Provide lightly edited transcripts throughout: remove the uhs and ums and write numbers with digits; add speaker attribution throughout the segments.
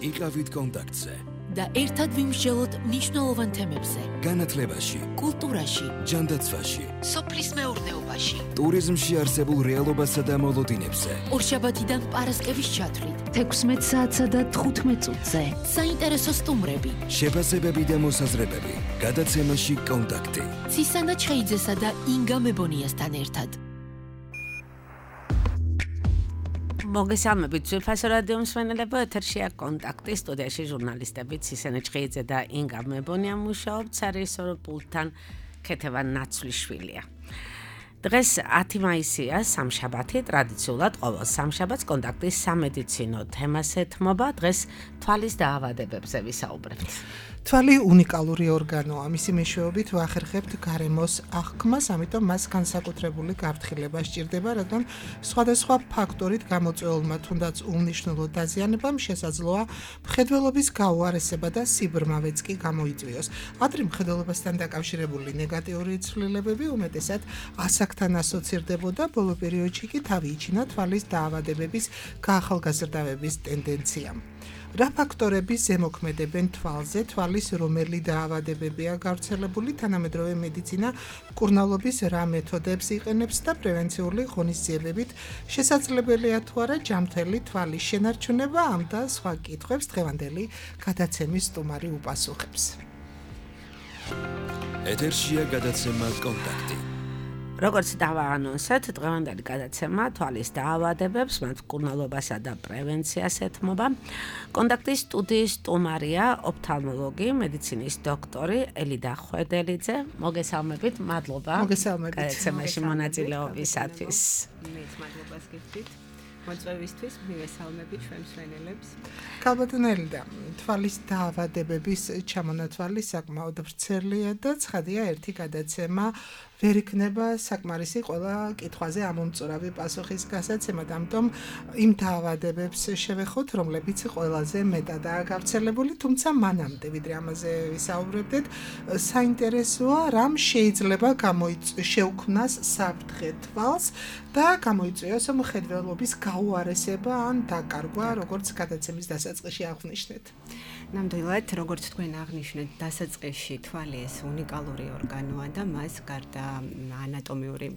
Speaker 1: იყავით კონტაქტზე
Speaker 2: და ერთად ვიმსჯელოთ მნიშვნელოვან თემებზე.
Speaker 1: განათლებაში,
Speaker 2: კულტურაში,
Speaker 1: ჯანდაცვაში,
Speaker 2: სოფლის მეურნეობაში,
Speaker 1: ტურიზმში არსებულ რეალობასა და მოლოდინებზე.
Speaker 2: ორშაბათიდან პარასკევის ჩათვლით 16 საათსა და 15 წუთზე. საინტერესო სტუმრები,
Speaker 1: შეფასებები და მოსაზრებები. გადაცემაში კონტაქტი.
Speaker 2: ცისანა ჩხეიძესა და ინგა მებონიასთან ერთად.
Speaker 3: მოგესალმებით ძვირფასო რადიო მსმენელებო, ეთერშია კონტაქტი, სტუდიაში ჟურნალისტები ცისანა ჩხეიძე და ინგა მებონია მუშაობთ, სარეჟისორო პულტთან ქეთევან ნაცვლიშვილია. დღეს 10 მაისია, სამშაბათი, ტრადიციულად ყოველ სამშაბათს კონტაქტის სამედიცინო თემას ეთმობა, დღეს თვალის დაავადებებზე ვისაუბრებთ.
Speaker 4: თვალი უნიკალური ორგანოა, მისი მეშვეობით ვახერხებთ გარემოს აღქმას, ამიტომ მას განსაკუთრებული გაფრთხილება სჭირდება, რადგან სხვადასხვა ფაქტორით გამოწვეულმა თუნდაც უნიშნულო დაზიანებამ შესაძლოა მხედველობის გაუარესება და სიბრმავეც კი გამოიწვიოს. ადრე მხედველობასთან დაკავშირებული ნეგატიური ცვლილებები უმეტესად ასაკთან ასოცირდებოდა, ბოლო პერიოდში კი თავი იჩინა თვალის დაავადებების გაახალგაზრდავების ტენდენციამ. რა ფაქტორები ზემოქმედებენ თვალზე, თვალის რომელი დაავადებებია გავრცელებული, თანამედროვე მედიცინა მკურნალობის რა მეთოდებს იყენებს და პრევენციული ღონისძიებებით შესაძლებელია თუ არა ჯანმრთელი თვალის შენარჩუნება, ამ და სხვა კითხვებს დღევანდელი გადაცემის სტუმარი უპასუხებს.
Speaker 1: ეთერშია გადაცემა კონტაქტი.
Speaker 3: როგორც დავაანონსეთ, დღევანდელი გადაცემა თვალის დაავადებებს, მათ მკურნალობასა და პრევენციას ეთმობა. კონტაქტის სტუდიის სტუმარია ოფთალმოლოგი, მედიცინის დოქტორი ელიდა ხვედელიძე. მოგესალმებით, მადლობა.
Speaker 4: მოგესალმებით.
Speaker 3: გადაცემაში მონაწილეობისათვის.
Speaker 5: მეც მადლობას გიხდით. მოწვევისთვის მივესალმებით ჩვენ მსმენელებს.
Speaker 4: ქალბატონო ელიდა, თვალის დაავადებების ჩამონათვალი საკმაოდ ვრცელია და ცხადია ერთი გადაცემა ვერ იქნება საკმარისი ყველა კითხვაზე ამომწურავი პასუხის გასაცემად, ამიტომ იმ დაავადებებს შევეხოთ, რომლებიც ყველაზე მეტადაა გავრცელებული, თუმცა მანამდე ვიდრე ამაზე ვისაუბრებდეთ, საინტერესოა რამ შეიძლება შეუქმნას საფრთხე თვალს და გამოიწვიოს მხედველობის გაუარესება ან დაკარგვა, როგორც გადაცემის დასაწყისში აღვნიშნეთ.
Speaker 5: ნამდვილად, როგორც თქვენ აღნიშნეთ, დასაწყისში თვალი ეს უნიკალური ორგანოა და მას გარდა ანატომიური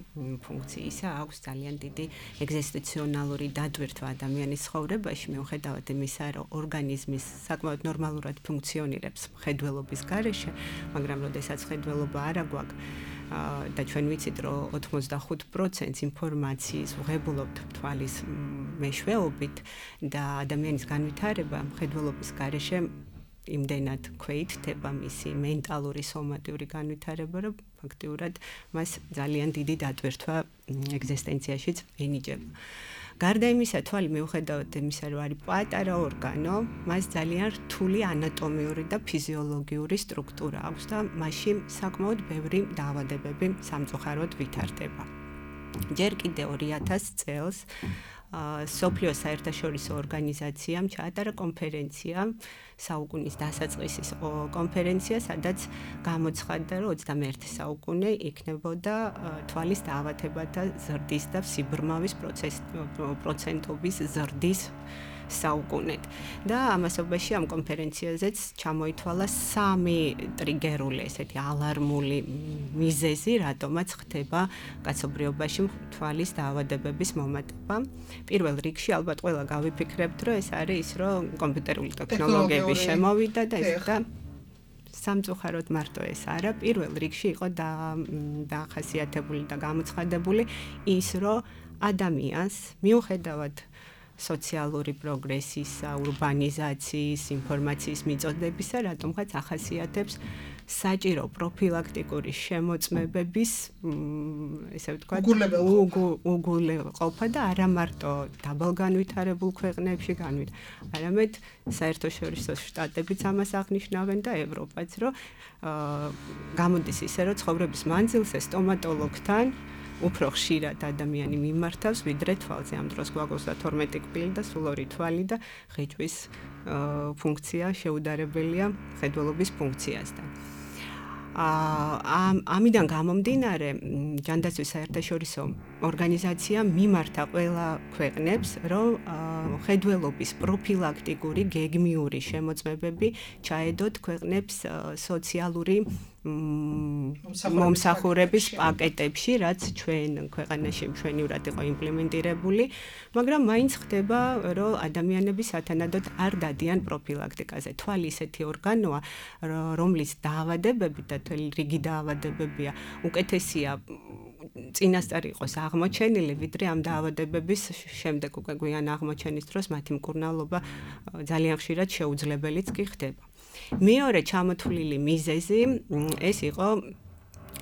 Speaker 5: ფუნქციისა აქვს ძალიან დიდი ეგზისტენციონალური დატვირთვა ადამიანის ცხოვრებაში, მიუხედავად იმისა, რომ ორგანიზმის საკმაოდ ნორმალურად ფუნქციონირებს მხედველობის გარეშე, მაგრამ როდესაც მხედველობა არ აგვაქვს და ჩვენ ვიცით, რომ 85% ინფორმაციის ვღებულობთ თვალის მეშვეობით და ადამიანის განვითარება მხედველობის გარეშე იმდენად ქვეითდება მისი მენტალური სომატიური განვითარება, რომ ფაქტიურად მას ძალიან დიდი დატვირთვა ეგზისტენციაშიც ენიჭება. გარდა იმისა, თვალი მიუხედავად იმისა, რომ არის პატარა ორგანო, მას ძალიან რთული ანატომიური და ფიზიოლოგიური სტრუქტურა აქვს და მასში საკმაოდ ბევრი დაავადებები სამწუხაროდ ვითარდება. ჯერ კიდევ 2000 წელს სოფლიო საერთაშორისო ორგანიზაციამ ჩაატარა კონფერენცია, საუკუნის დასაწყისის კონფერენცია, სადაც გამოცხადდა, რომ 21 საუკუნე იქნებოდა თვალის დაავადებათა ზრდის და სიბრმავის პროცენტობის ზრდის საუკუნედ. და ამასობაში ამ კონფერენციაზეც ჩამოითვალა 3 ტრიგერული, ესეთი ალარმული მიზეზი, რატომაც ხდება კაცობრიობაში თვალის დაავადებების მომატება. პირველ რიგში ალბათ ყველა გავიფიქრებთ, რომ ეს არის ის, რომ კომპიუტერული ტექნოლოგიები შემოვიდა და ეს და სამწუხაროდ მარტო ეს არა, პირველ რიგში იყო დაახასიათებული და გამოცხადებული ის, რომ ადამიანს მიუხედავად სოციალური პროგრესისა, ურბანიზაციის, ინფორმაციის მიწოდებისა, რატომღაც ახასიათებს საჭირო პროფილაქტიკური შემოწმებების, ესე ვთქვათ, უგულებყოფა და არა მარტო დაბალგანვითარებულ ქვეყნებში არამედ საერთაშორისო შტატებიც ამას აღნიშნავენ და ევროპაც, რომ გამოდის ისე, რომ ცხოვრების მანძილზე სტომატოლოგთან უფრო ხშირად ადამიანი მიმართავს ვიდრე თვალზე. ამ დროს გვაქვს 32 კბილი და სულ 2 თვალი და ღიჭვის ფუნქცია შეუდარებელია მხედველობის ფუნქციასთან. ამიდან გამომდინარე ჯანდაცვის საერთაშორისო ორგანიზაცია მიმართა ყველა ქვეყნებს, რომ ხედველობის პროფილაქტიკური გეგმიური შემოწმებები ჩაედოთ ქვეყნებს სოციალური მომსახურების პაკეტებში, რაც ჩვენ ქვეყანაში მშვენივრად იყო იმპლემენტირებული, მაგრამ მაინც ხდება, რომ ადამიანები სათანადოდ არ დადიან პროფილაქტიკაზე. თვალი ისეთი ორგანოა, რომლის დაავადებები და თვალი რიგი დაავადებებია, უკეთესია წინასწარ იყოს აღმოჩენილი, ვიდრე ამ დაავადებების შემდეგ უკვე გვიან აღმოჩენის დროს მათი მკურნალობა ძალიან ხშირად შეუძლებელიც კი ხდება. მეორე ჩამოთვლილი მიზეზი ეს იყო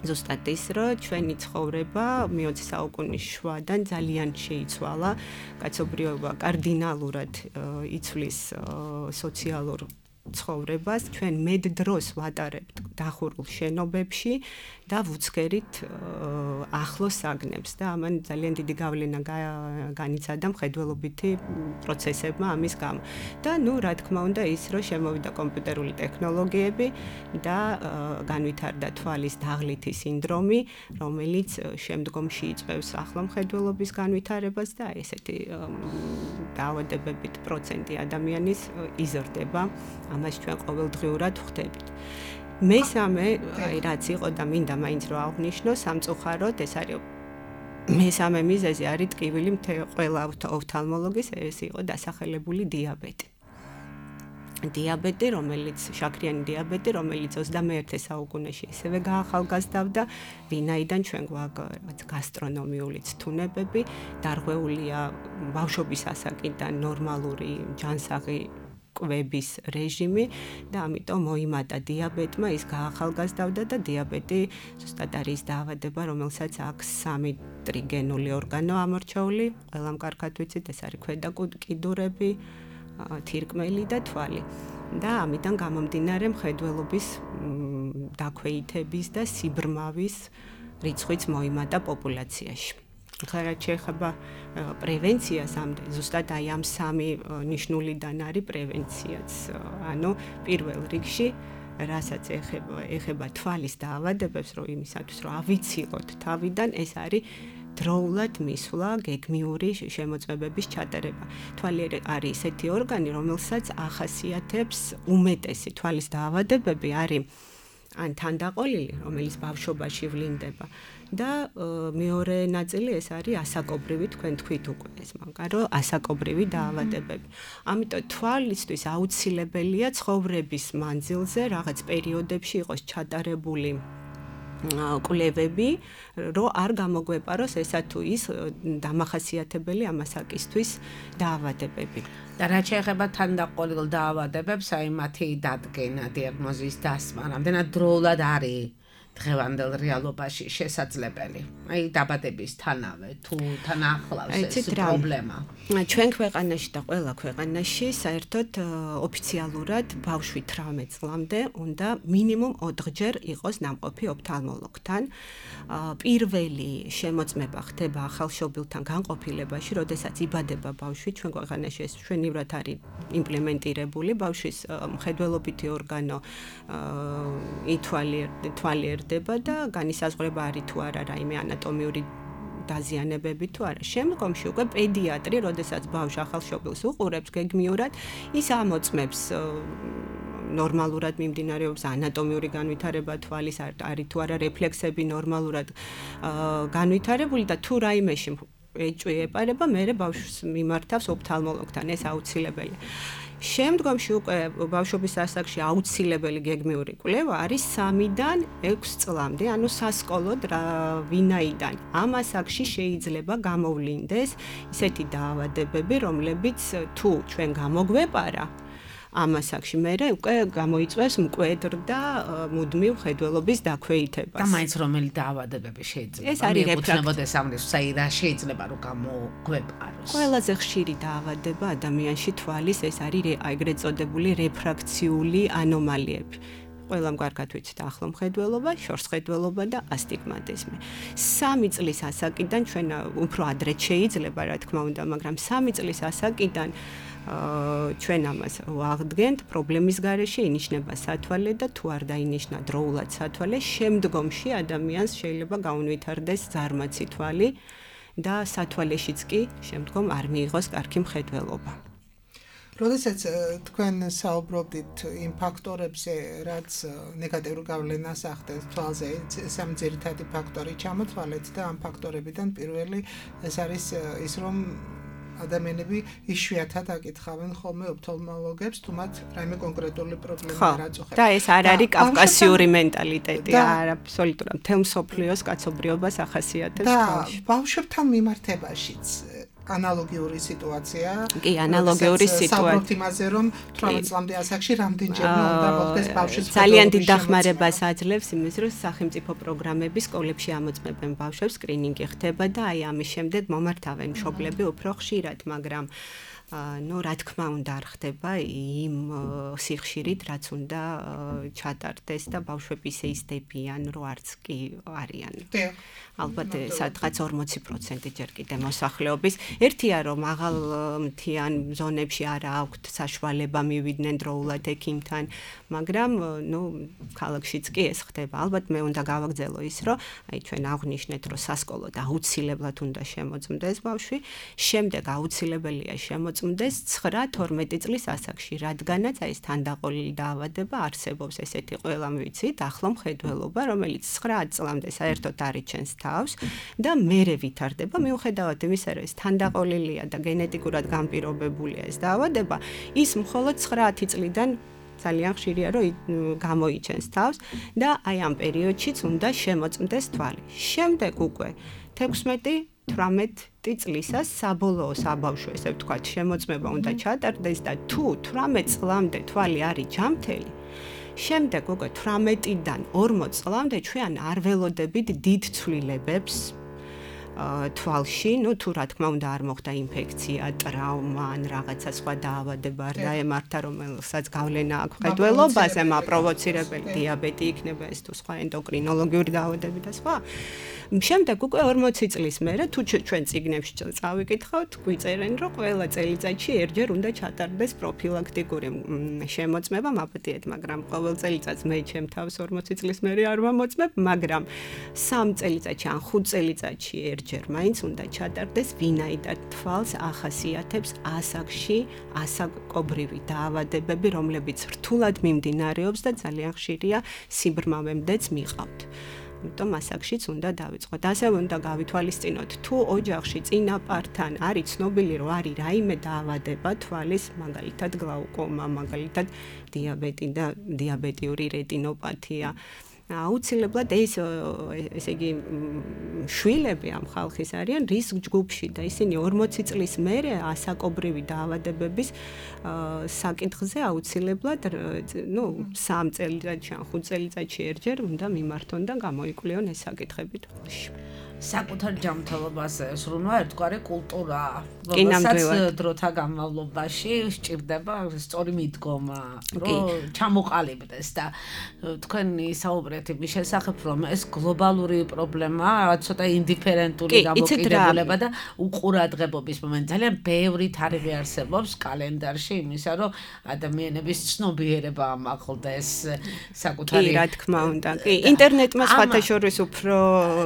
Speaker 5: ზუსტად ის, რომ ჩვენი ცხოვრება მე-20 საუკუნის შუადან ძალიან შეიცვალა, კაცობრიობა კარდინალურად იცვლის სოციალურ ცხოვრებას, ჩვენ მეტ დროს ვატარებთ დახურულ შენობებში და ვუცქერით ახლოს საგნებს და ამან ძალიან დიდი გავლენა განიცადა მხედველობითი პროცესებმა ამის გამო. და რა თქმა უნდა ის, რომ შემოვიდა კომპიუტერული ტექნოლოგიები და განვითარდა თვალის დაღლითი სინდრომი, რომელიც შემდგომში იწვევს ახლო მხედველობის განვითარებას და ესეთი დაავადებებით პროცენტი ადამიანის იზრდება. ამას ჩვენ ყოველდღიურად ვხვდებით. მესამე, რაც იყო და მინდა მაინც რომ აღვნიშნო, სამწუხაროდ ეს არის მესამე მიზეზი არის ტკივილი ყველა ოფთალმოლოგის, ეს იყო დასახელებული დიაბეტი. შაქრიანი დიაბეტი, რომელიც 21 საუკუნეში ისევე გაახალგაზრდავდა, ვინაიდან ჩვენ გვაქვს გასტრონომიული თუნებები, დარღვეულია ბავშვობის ასაკიდან ნორმალური ჯანსაღი კვების რეჟიმი და ამიტომ მოიმატა დიაბეტმა, ის გაახალგაზრდავდა და დიაბეტი ზუსტად არის დაავადება, რომელსაც აქვს 3 ტრიგენული ორგანო ამორჩეული, ყველამ კარგად ვიცით, ეს არის ქვედა კიდურები, თირკმელი და თვალი. და ამიტომ გამომდინარე მხედველობის დაქვეითების და სიბრმავის რიცხვიც მოიმატა პოპულაციაში. ხარად შეეხება პრევენციას, ზუსტად აი ამ 3 ნიშნულიდან არის პრევენციაც. ანუ პირველ რიგში, რასაც ეხება თვალის დაავადებებს, რომ იმისათვის რომ ავიცილოთ თავიდან, ეს არის დროულად მისვლა გეგმიური შემოწმებების ჩატარება. თვალი არის ესეთი ორგანი, რომელსაც ახასიათებს უმეტესი თვალის დაავადებები არის ან თანდაყოლილი, რომელიც ბავშვობაში ვლინდება და მეორე ნაწილი ეს არის ასაკობრივი, თქვენ თქვით უკვე ეს მაგა, რომ ასაკობრივი დაავადებები. ამიტომ თვალისთვის აუცილებელია ცხოვრების მანძილზე რაღაც პერიოდებში იყოს ჩატარებული კვლევები, რომ არ გამოგვეპაროს ესა თუ ის დამახასიათებელი ამასაკისთვის დაავადებები.
Speaker 3: და რაც შეეხება თანდაყოლილ დაავადებებს, აი მათი დადგენა, დიაგნოზის დასმა, რამდენად დროულად არის დღევანდელ რეალობაში შესაძლებელი. აი დაბადებისთანავე თუ თან ახლავს ეს პრობლემა.
Speaker 5: ჩვენ ქვეყანაში და ყველა ქვეყანაში საერთოდ ოფიციალურად ბავშვი 18 წლამდე უნდა მინიმუმ 4ჯერ იყოს ნამყოფი ოფთალმოლოგთან. პირველი შემოწმება ხდება ახალშობილთან განყოფილებაში, როდესაც იბადება ბავშვი, ჩვენ ქვეყანაში ეს მშვენივრად არის იმპლემენტირებული, ბავშვის მხედველობითი ორგანო თვალიერდება და განისაზღვრება არის თუ არა რაიმე ანატომიური დაზიანებები თუ არა. შემდგომში უკვე პედიატრი, როდესაც ბავშვი ახალშობილს უყურებს გეგმიურად, ის ამოწმებს ნორმალურად მიმდინარეობს ანატომიური განვითარება თვალის, არის თუ არა რეფლექსები ნორმალურად განვითარებული და თუ რაიმეში ეჭვი ეპარება, მერე ბავშვს მიმართავს ოფთალმოლოგთან, ეს აუცილებელია. შემდგომში უკვე ბავშვობის ასაკში აუცილებელი გეგმიური კვლევა არის 3-დან 6 წლამდე, ანუ სასკოლოდ ვინაიდან ამ ასაკში შეიძლება გამოვლინდეს ისეთი დაავადებები, რომლებიც თუ ჩვენ გამოგვეპარა ამ ასაკში მერე უკვე გამოიწვევს მკვედრ და მუდმივ ხედველობის დაქვეითებას.
Speaker 3: და მაინც რომელი დაავადებები შეიძლება?
Speaker 5: ეს არის
Speaker 3: რეფლექსებოდეს ამის, რა შეიძლება რომ გამოგვეპაროს?
Speaker 5: ყველაზე ხშირი დაავადება ადამიანში თვალის ეს არის ეგრეთ წოდებული რეფრაქციული ანომალიები. ყველამ კარგად ვიცით ახლო მხედველობა, შორსხედველობა და ასტიგმატიზმი. 3 წლის ასაკიდან ჩვენ უფრო ადრე შეიძლება, რა თქმა უნდა, მაგრამ 3 წლის ასაკიდან ჩვენ ამას ვაღდგენთ, პრობლემის გარეშე ინიშნება სათვალე და თუ არ დაინიშნა დროულად სათვალე, შემდგომში ადამიანს შეიძლება გაუნვითარდეს ზარმაცი თვალი და სათვალეშიც კი შემდგომ არ მიიღოს კარგი მხედველობა.
Speaker 4: როდესაც თქვენ საუბრობდით იმ ფაქტორებზე, რაც ნეგატიურ გავლენას ახდენს თვალზე, სამ ძირითადი ფაქტორი ჩამოთვალეთ და ამ ფაქტორებიდან პირველი ეს არის ის, რომ ადამიანები იშვიათად აკითხავენ ხოლმე ოფთალმოლოგებს, თუ მათ რაიმე კონკრეტული პრობლემა არ აწუხებს.
Speaker 5: და ეს არ არის კავკასიური მენტალიტეტი, არა, აბსოლუტურად მთელ მსოფლიოს კაცობრიობას ახასიათებს თვალში.
Speaker 4: და ბავშვებთან მიმართებაშიც ანალოგიური სიტუაცია.
Speaker 5: კი, ანალოგიური სიტუაცია.
Speaker 4: საუბრობთ იმაზე, რომ 18 წლამდე ასაკში რამდენჯერმე უნდა მოხდეს ბავშვის
Speaker 5: ძალიან დიდ დახმარებას აძლევს იმის, რომ სახელმწიფო პროგრამები სკოლებში ამოწმებენ ბავშვებს, სკრინინგი ხდება და აი ამის შემდეგ მომართავენ მშობლები უფრო ხშირად, მაგრამ რა თქმა უნდა არ ხდება იმ სიხშირით, რაც უნდა ჩატარდეს და ბავშვები ისე ისდებიან, რომ არც კი არიან. ალბათ სადღაც 40% ჯერ კიდე მოსახლეობის. ერთია რომ მაღალმთიან ზონებში არ აქვთ საშუალება მივიდნენ დროულად ექიმთან, მაგრამ ქალაქშიც კი ეს ხდება. ალბათ მე უნდა გავაგრძელო ის, რომ აი ჩვენ აღვნიშნეთ, რომ სასკოლოდ აუცილებლად უნდა შემოწმდეს ბავშვი, შემდეგ აუცილებელია შემოწმდეს 9-12 წლის ასაკში, რადგანაც აი ეს თანდაყოლილი დაავადება არსებობს, ესეთი ყველამ ვიცით, ახლო მხედველობა, რომელიც 9 წლამდე საერთოდ არ იჩენს თავს და მერე ვითარდება, მიუხედავად იმისა, რომ ეს თანდაყოლილია და გენეტიკურად განპირობებულია ეს დაავადება, ის მხოლოდ 9 წლიდან ძალიან ხშირია, რომ გამოიჩენს თავს და აი ამ პერიოდშიც უნდა შემოწმდეს თვალი. შემდეგ უკვე 16-18 წლისას საბოლოო საბავშვო, ესე ვთქვათ, შემოწმება უნდა ჩატარდეს და თუ 18 წლამდე თვალი არის ჯამთელი, შემდეგ უკვე 18-დან 40 წლამდე ჩვენ არ ველოდებით დიდ ცვლილებებს თვალში, თუ რა თქმა უნდა არ მოხდა ინფექცია, ტრავმა ან რაღაცა სხვა დაავადება არ დაემართა, რომელსაც გავლენა აქვს მხედველობაზე, მაპროვოცირებელი დიაბეტი იქნება ეს თუ სხვა ენდოკრინოლოგიური დაავადებები და სხვა. შემდეგ უკვე 40 წლის მერე თუ ჩვენ წიგნებში წავიკითხავთ, გვიწერენ, რომ ყველა წელიწადში ერთჯერ უნდა ჩატარდეს პროფილაქტიკური შემოწმება, მაპატიეთ, მაგრამ ყოველ წელიწადს მე ჩემ თავს 40 წლის მერე არ ვამოწმებ, მაგრამ 3 წელიწადში ან 5 წელიწადში ერთჯერ მაინც უნდა ჩატარდეს, ვინაიდან თვალს ახასიათებს ასაკში ასაკობრივი დაავადებები, რომლებიც რთულად მიმდინარეობს და ძალიან ხშირია სიბრმავემდეც მიყავთ. იმიტომ ასაკშიც უნდა დავიწყოთ. ასევე უნდა გავითვალისწინოთ, თუ ოჯახში წინაპართან არის ცნობილი, რომ არის რაიმე დაავადება თვალის, მაგალითად გლაუკომა, მაგალითად დიაბეტი და დიაბეტიური რეტინოპათია. აუცილებლად ესე იგი შვილები ამ ხალხის არიან რისკ ჯგუფში და ისინი 40 წლის მერე ასაკობრივი დაავადებების საკითხზე აუცილებლად 3 წელიწადში ან 5 წელიწადში ერთჯერ უნდა მიმართონ და გამოიკვლიონ ეს საკითხები თვალში.
Speaker 3: საკუთარ ჯანმრთელობას სრულმა ერთგვარი კულტურა, რომელსაც დროთა განმავლობაში სჭირდება სწორი მიდგომა, რომ ჩამოყალიბდეს და თქვენი საუბრეთ იმის შესახებ, რომ ეს გლობალური პრობლემაა, ცოტა ინდიფერენტული გამოკიდებულება და უყურადღებობის მომენტი. ძალიან ბევრი თარიღი არსებობს კალენდარში იმისა, რომ ადამიანების ცნობიერება ამაღლდეს საკუთარი.
Speaker 5: კი, რა თქმა უნდა. კი, ინტერნეტმა სხვათაშორის უფრო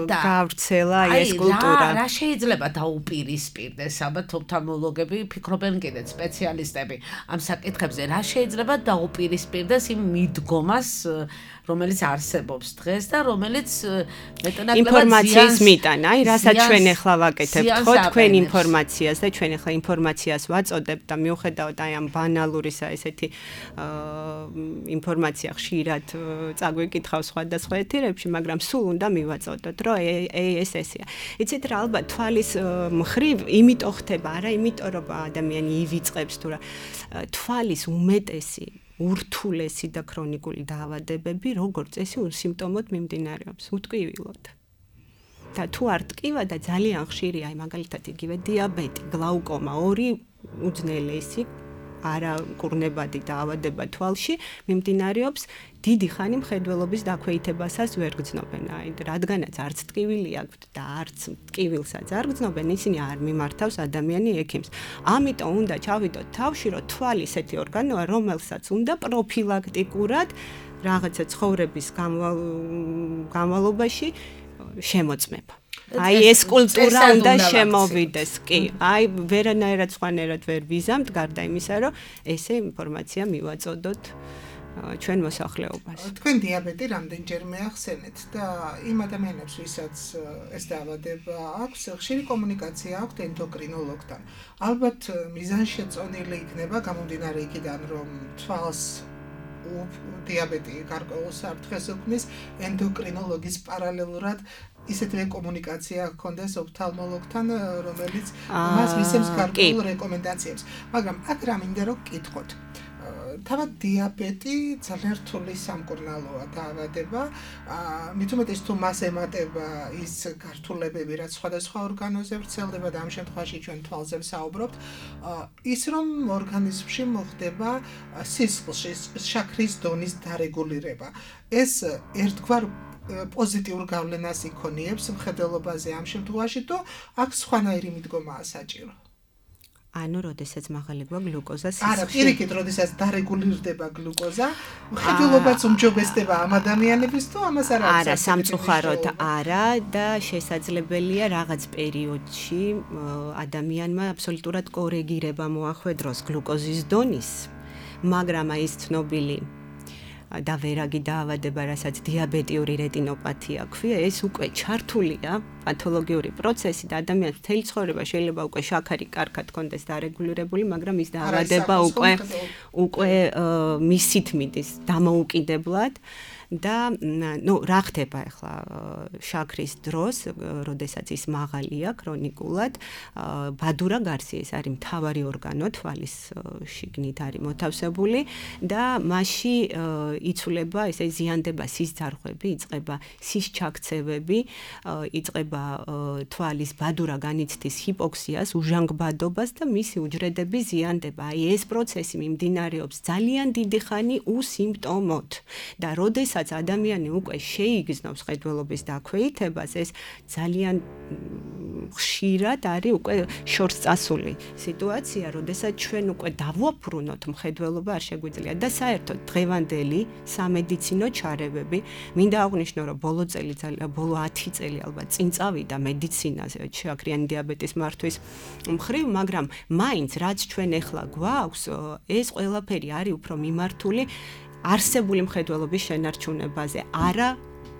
Speaker 5: გავრცელდა ეს კულტურა.
Speaker 3: რა შეიძლება დაუპირისპირდეს, ალბათ ოფთალმოლოგები ფიქრობენ კიდეც სპეციალისტები ამ საკითხებზე, რა შეიძლება დაუპირისპირდეს იმ მიდგომას, რომელიც არსებობს დღეს და რომელიც მეტნაკლებად
Speaker 5: ინფორმაციის მიტანა, აი რასაც ჩვენ ახლა ვაკეთებთ, ხო თქვენ ინფორმაციას და ჩვენ ახლა ინფორმაციას ვაწოდებთ და მიუხედავად აი ამ ბანალურისა ესეთი ინფორმაცია ხშირად წაგვიკითხავს სხვადასხვა ეთერებში, მაგრამ სულ უნდა მივაწოდოთ, რომ ეს ესეა. იცით რა, ალბათ თვალის მხრივ იმიტომ ხდება, არა იმიტომ რომ ადამიანი ივიწყებს თუ რა, თვალის უმეტესი ურთულესი და ქრონიკული დაავადებები როგორც წესი სიმპტომოდ მიმდინარეობს, უტკივილოდ. და თუ არ ტკივა და ძალიან ხშირია, აი მაგალითად იგივე დიაბეტი, გლაუკომა, ორი უძნელესი არაკურნებადი დაავადება თვალში მიმდინარეობს, დიდი ხანი მხედველობის დაქვეითებასაც ვერ გრძნობენ. რადგანაც არც ტკივილი აქვთ და არც ტკივილსაც არ გრძნობენ, ისინი არ მიმართავს ადამიანი ექიმს. ამიტომ უნდა ჩავიდოთ თავში, რომ თვალი ესეთი ორგანოა, რომელსაც უნდა პროფილაქტიკურად რაღაცა ცხოვრების განმავლობაში შემოწმება. ეს კულტურა უნდა შემოვიდეს, კი. ვერანაირად სხვანაირად ვერ ვიზამთ, გარდა იმისა, რომ ესე ინფორმაცია მივაწოდოთ ჩვენ მოსახლეობას.
Speaker 4: თქვენ დიაბეტი რამდენჯერმე ახსენეთ და იმ ადამიანებს, ვისაც ეს დაავადება აქვს, ხშირი კომუნიკაცია აქვთ ენდოკრინოლოგთან. ალბათ მიზანშეწონილი იქნება გამომდინარე იქიდან, რომ თვალს დიაბეტი გარკვეულ საფრთხეს უქმნის, ენდოკრინოლოგის პარალელურად ისეთივე კომუნიკაცია ჰქონდეს ოფთალმოლოგთან, რომელიც მას მისცემს გარკვეულ რეკომენდაციებს. მაგრამ აქ რა მინდა რომ გკითხოთ. თავად დიაბეტი ძალიან რთული სამკურნალოა დაავადება, მით უმეტეს თუ მას ემატება ის გართულებები, რაც სხვადასხვა ორგანოზე ვრცელდება და ამ შემთხვევაში ჩვენ თვალზე ვსაუბრობთ, ის რომ ორგანიზმში მოხდება სისხლში შაქრის დონის დარეგულირება. ეს ერთგვარ პოზიტიურ გავლენას იქონიებს მხედველობაზე ამ შემთხვევაში, თუ აქ სხვანაირი მიდგომაა საჭირო.
Speaker 5: როდესაც მაღალი გვაქვს გლუკოზა სისხლში.
Speaker 4: არა, პირიქით, როდესაც დარეგულირდება გლუკოზა, მხედველობაც უმჯობესდება ამ ადამიანების თუ ამას არ არის?
Speaker 5: არა, სამწუხაროდ არა და შესაძლებელია რაღაც პერიოდში ადამიანმა აბსოლუტურად კორეგირება მოახვედროს გლუკოზის დონის, მაგრამ ის ცნობილი და ვერაგი დაავადება, რასაც დიაბეტიური რეტინოპათია ქვია, ეს უკვე ჩართულია პათოლოგიური პროცესი და ადამიანს მთელი ცხოვრება შეიძლება უკვე შაქარი კარგად კონდეს დარეგულირებული, მაგრამ ის დაავადება უკვე მისით მიდის დამოუკიდებლად და რა ხდება ახლა შაქრის დროს, როდესაც ის მაღალია ქრონიკულად, ბადურა გარსი ეს არის მთავარი ორგანო თვალის შიგნით არის მოთავსებული და მასში იცვლება ესე ზიანდება სისძარღვები, იწყება სისჩაქცევები, იწყება თვალის ბადურა განიცდის ჰიპოქსიას, უჟანგბადობას და მისი უჯრედები ზიანდება. ეს პროცესი მიმდინარეობს ძალიან დიდი ხანი უსიმპტომოდ და როდესაც ადამიანი უკვე შეიგრძნობს მხედველობის დაქვეითებას, ეს ძალიან ხშირად არის უკვე შორს წასული სიტუაცია, როდესაც ჩვენ უკვე დავუაფრუნოთ მხედველობა არ შეგვიძლია და საერთოდ დღევანდელი სამედიცინო ჩარევები, მინდა აღვნიშნო, რომ ბოლო 10 წელი ალბათ წინ წავიდა მედიცინაზე შაქრიანი დიაბეტის მართვის მხრივ, მაგრამ მაინც რაც ჩვენ ახლა გვაქვს, ეს ყველაფერი არის უფრო მიმართული არსებული მხედველობის შენარჩუნებაზე, არა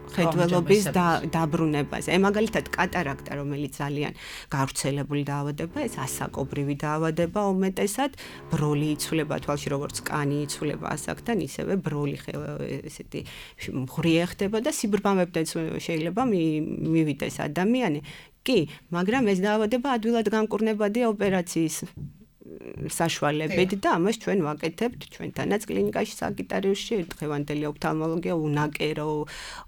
Speaker 5: მხედველობის დაბრუნებაზე. მაგალითად კატარაქტა, რომელიც ძალიან გავრცელებული დაავადება, ეს ასაკობრივი დაავადება უმეტესად, ბროლი იცვლება თვალში, როგორც კანი იცვლება ასაკთან, ისევე ბროლი ესეთი მღრიე ხდება და სიბრმავებთან შეიძლება მივიდეს ადამიანი. კი, მაგრამ ეს დაავადება ადვილად გამკურნებადია ოპერაციის საშუალებით და ამას ჩვენ ვაკეთებთ ჩვენთანაც კლინიკაში საგიტარიუსში დღევანდელი ოფთალმოლოგია უნაკერო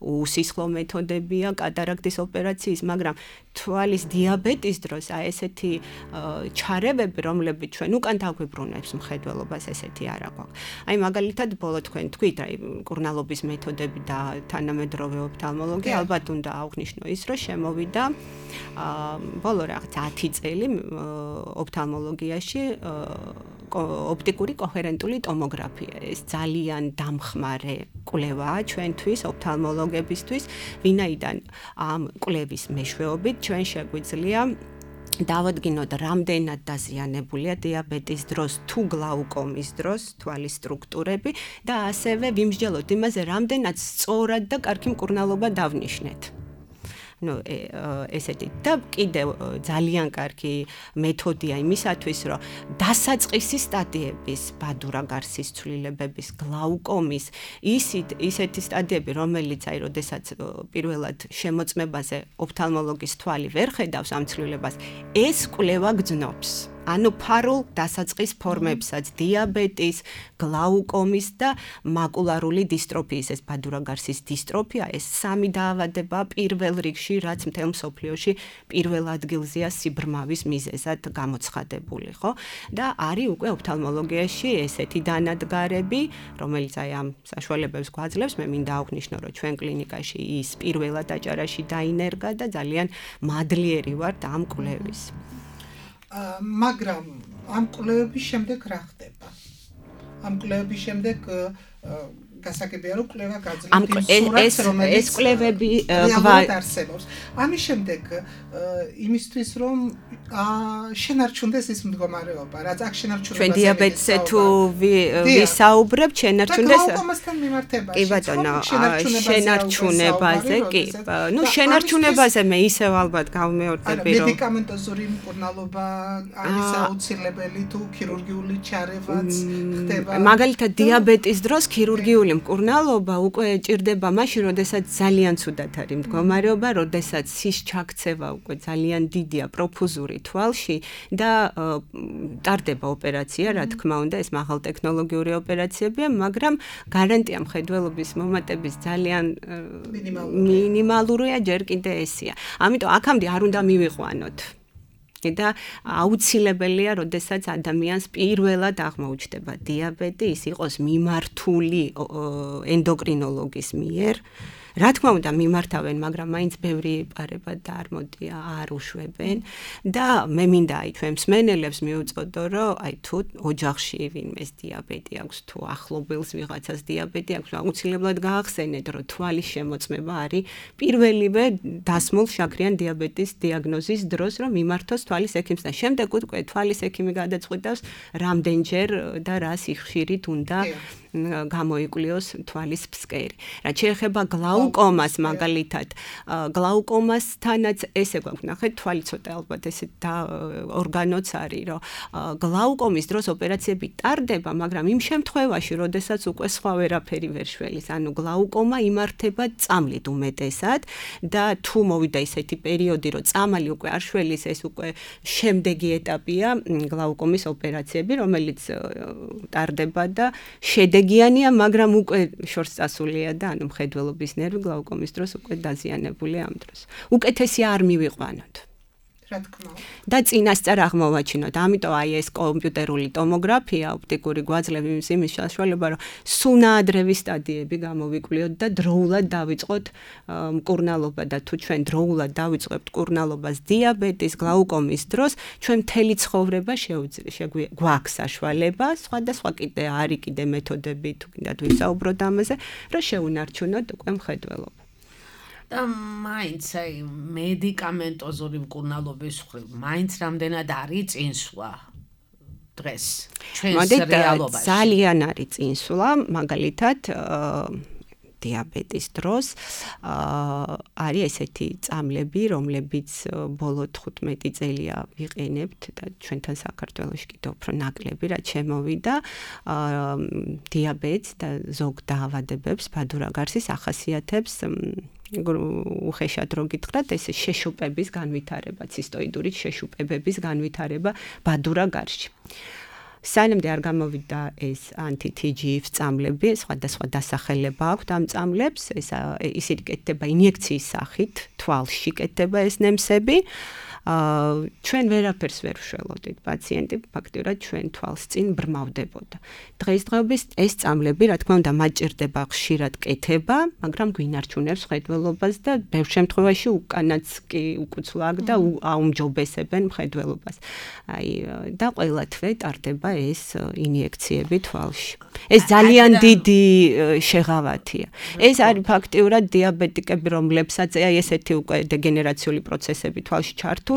Speaker 5: უსისხლო მეთოდებია კატარაქტის ოპერაციის, მაგრამ თვალის დიაბეტის დროს ესეთი ჩარევები, რომლებიც ჩვენ უკან დაგვიბრუნებს მხედველობას, ესეთი არ აქვს. მაგალითად ბოლო თქვენ თქვით, კურნალობის მეთოდები და თანამედროვე ოფთალმოლოგია, ალბათ უნდა აღვნიშნო ის, რომ შემოვიდა ბოლო რაღაც 10 წელი ოფთალმოლოგიაში ოპტიკური კოჰერენტული ტომოგრაფია. ეს ძალიან დამხმარე კვლევაა ჩვენთვის, ოფთალმოლოგებისთვის, ვინაიდან ამ კვლევის მეშვეობით ჩვენ შეგვიძლია დავადგინოთ, რამდენად დაზიანებულია დიაბეტის დროს თუ გლაუკომის დროს თვალის სტრუქტურები და ასევე ვიმსჯელოთ იმაზე, რამდენად სწორად და კარგი მკურნალობა დავნიშნეთ. ესეთი და კიდევ ძალიან კარგი მეთოდია იმისათვის, რომ დასაწყისი სტადიების ბადურა გარსის ცვლილებების, გლაუკომის, ისეთი სტადიები, რომელიც როდესაც პირველად შემოწმებაზე ოფთალმოლოგის თვალი ვერ ხედავს ამ ცვლილებას, ეს კვლევა გრძნობს. ანუ ფარულ დასაწყის ფორმებსაც, დიაბეტის, გლაუკომის და მაკულარული დისტროფიის, ეს ბადურაგარსის დისტროფია, ეს სამი დაავადება პირველ რიგში, რაც მთელ მსოფლიოში პირველ ადგილზეა სიბრმავის მიზეზად გამოცხადებული, ხო? და არის უკვე ოფთალმოლოგიაში ესეთი დანადგარები, რომელიც აი ამ საშუალებებს გვაძლევს, მე მინდა აღვნიშნო, რომ ჩვენ კლინიკაში ის პირველად აჭარაში დაინერგა და ძალიან მადლიერი ვართ ამ კვლევის.
Speaker 4: მაგრამ ამ კვლევების შემდეგ რა ხდება? ამ კვლევების შემდეგ გასაგებია რომ კვლევა გაძლევს სურათს, რომელიც
Speaker 5: ეს კვლევები
Speaker 4: არსებობს. ამის შემდეგ იმისთვის რომ შენარჩუნდეს ის მდგომარეობა, რაც აქ შენარჩუნებას
Speaker 5: ჩვენ დიაბეტზე თუ ვისაუბრებთ, შენარჩუნდეს
Speaker 4: გლაუკომასთან მიმართებაში.
Speaker 5: კი ბატონო, შენარჩუნებაზე, კი. ნუ შენარჩუნებაზე მე ისევ ალბათ გავმეორდები, რომ
Speaker 4: მედიკამენტოზური მკურნალობა არის აუცილებელი თუ ქირურგიული ჩარევაც ხდება.
Speaker 5: მაგალითად დიაბეტის დროს ქირურგიული მკურნალობა უკვე ჭირდება მაშინ, როდესაც ძალიან ცუდად არის მდგომარეობა, როდესაც სის ჩაქცევა უკვე ძალიან დიდია პროფუზური თვალში და ტარდება ოპერაცია, რა თქმა უნდა, ეს მაღალტექნოლოგიური ოპერაციებია, მაგრამ გარანტია მხედველობის მომატების ძალიან მინიმალურია, ჯერ კიდე ესია. ამიტომ აქამდე არ უნდა მივიყვანოთ. და აუცილებელია, როდესაც ადამიანს პირველად აღმოუჩნდება დიაბეტი, ის იყოს მიმართული ენდოკრინოლოგის მიერ. რა თქმა უნდა მიმართავენ, მაგრამ მაინც ბევრი იპარება და არ მოდია, არ უშვებენ და მე მინდა აი ჩვენ მსმენელებს მივუწოდო, რომ აი თუ ოჯახში ვინმეს დიაბეტი აქვს, თუ ახლობელს ვიღაცას დიაბეტი აქვს, აუცილებლად გაახსენეთ, რომ თვალის შემოწმება არის პირველივე დასმულ შაქრიან დიაბეტის დიაგნოზის დროს, რომ მიმართოს თვალის ექიმს და შემდეგ უკვე თვალის ექიმი გადაწყვეტავს, რამდენჯერ და რა სიხშირით უნდა გამოიკვლიოს თვალის ფსკერი. რაც შეეხება გლაუკომას მაგალითად, გლაუკომასთანაც ესე გვაქვს, ნახეთ, თვალი ცოტა ალბათ ესე და ორგანოც არის, რომ გლაუკომის დროს ოპერაციები ტარდება, მაგრამ იმ შემთხვევაში, როდესაც უკვე სხვა ვერაფერი ვერ შველის, ანუ გლაუკომა იმართება წამლით უმეტესად და თუ მოვიდა ისეთი პერიოდი, რომ წამალი უკვე არ შველის, ეს უკვე შემდეგი ეტაპია გლაუკომის ოპერაციები, რომელიც ტარდება და შედეგიანია, მაგრამ უკვე შორს წასულია და ანუ მხედველობის ნერვი გლაუკომის დროს უკვე დაზიანებულია ამ დროს. უკეთესი არ მივიყვანოთ.
Speaker 4: რა თქმა უნდა.
Speaker 5: და წინასწარ აღმოვაჩინოთ. ამიტომ აი ეს კომპიუტერული ტომოგრაფია, ოპტიკური გვაძლევი იმის საშუალება, რომ სუნაადრევი სტადიები გამოვიკვლიოთ და დროულად დავიწყოთ მკურნალობა და თუ ჩვენ დროულად დავიწყებთ მკურნალობას დიაბეტის, გლაუკომის დროს, ჩვენ მთელი ცხოვრება გვაქვს საშუალება, სხვადასხვა კიდე არის კიდე მეთოდები, თუ კიდათ ვისაუბროთ ამაზე, რომ შეუნარჩუნოთ უკვე მხედველობა.
Speaker 3: და მაინც აი მედიკამენტოზური მკურნალობის მხრივ მაინც რამდენად არის წინსვლა დღეს ჩვენს რეალობაში.
Speaker 5: ძალიან არის წინსვლა, მაგალითად დიაბეტის დროს არის ესეთი წამლები, რომლებიც ბოლო 15 წელია ვიყენებთ და ჩვენთან საქართველოში კიდევ უფრო ნაკლები, რაც შემოვიდა დიაბეტს და ზოგ დაავადებებს, ბადურაგარსის ახასიათებს უხეშად რო გითხრათ, ეს შეშუპების განვითარება, ცისტოიდური შეშუპებების განვითარება ბადურაგარსში. სანამდე არ გამოვიდა ეს ანტი-TGF წამლები, სხვადასხვა დასახელება აქვს ამ წამლებს, ისინი კეთდება ინიექციის სახით, თვალში კეთდება ეს ნემსები. ჩვენ ვერაფერს ვერ ვშველოდით, პაციენტი ფაქტიურად ჩვენ თვალს წინ ბრმავდებოდა. დღესდღეობით ეს წამლები, რა თქმა უნდა, მათ ჭირდება ხშირად კეთება, მაგრამ გვინარჩუნებს მხედველობას და ბევრ შემთხვევაში უკანაც კი უკუცვლა აქვს და აუმჯობესებენ მხედველობას. და ყველა თვე ტარდება ეს ინიექციები თვალში. ეს ძალიან დიდი შეღავათია. ეს არის ფაქტიურად დიაბეტიკები, რომლებსაც ესეთი უკვე დეგენერაციული პროცესები თვალში ჩართულია.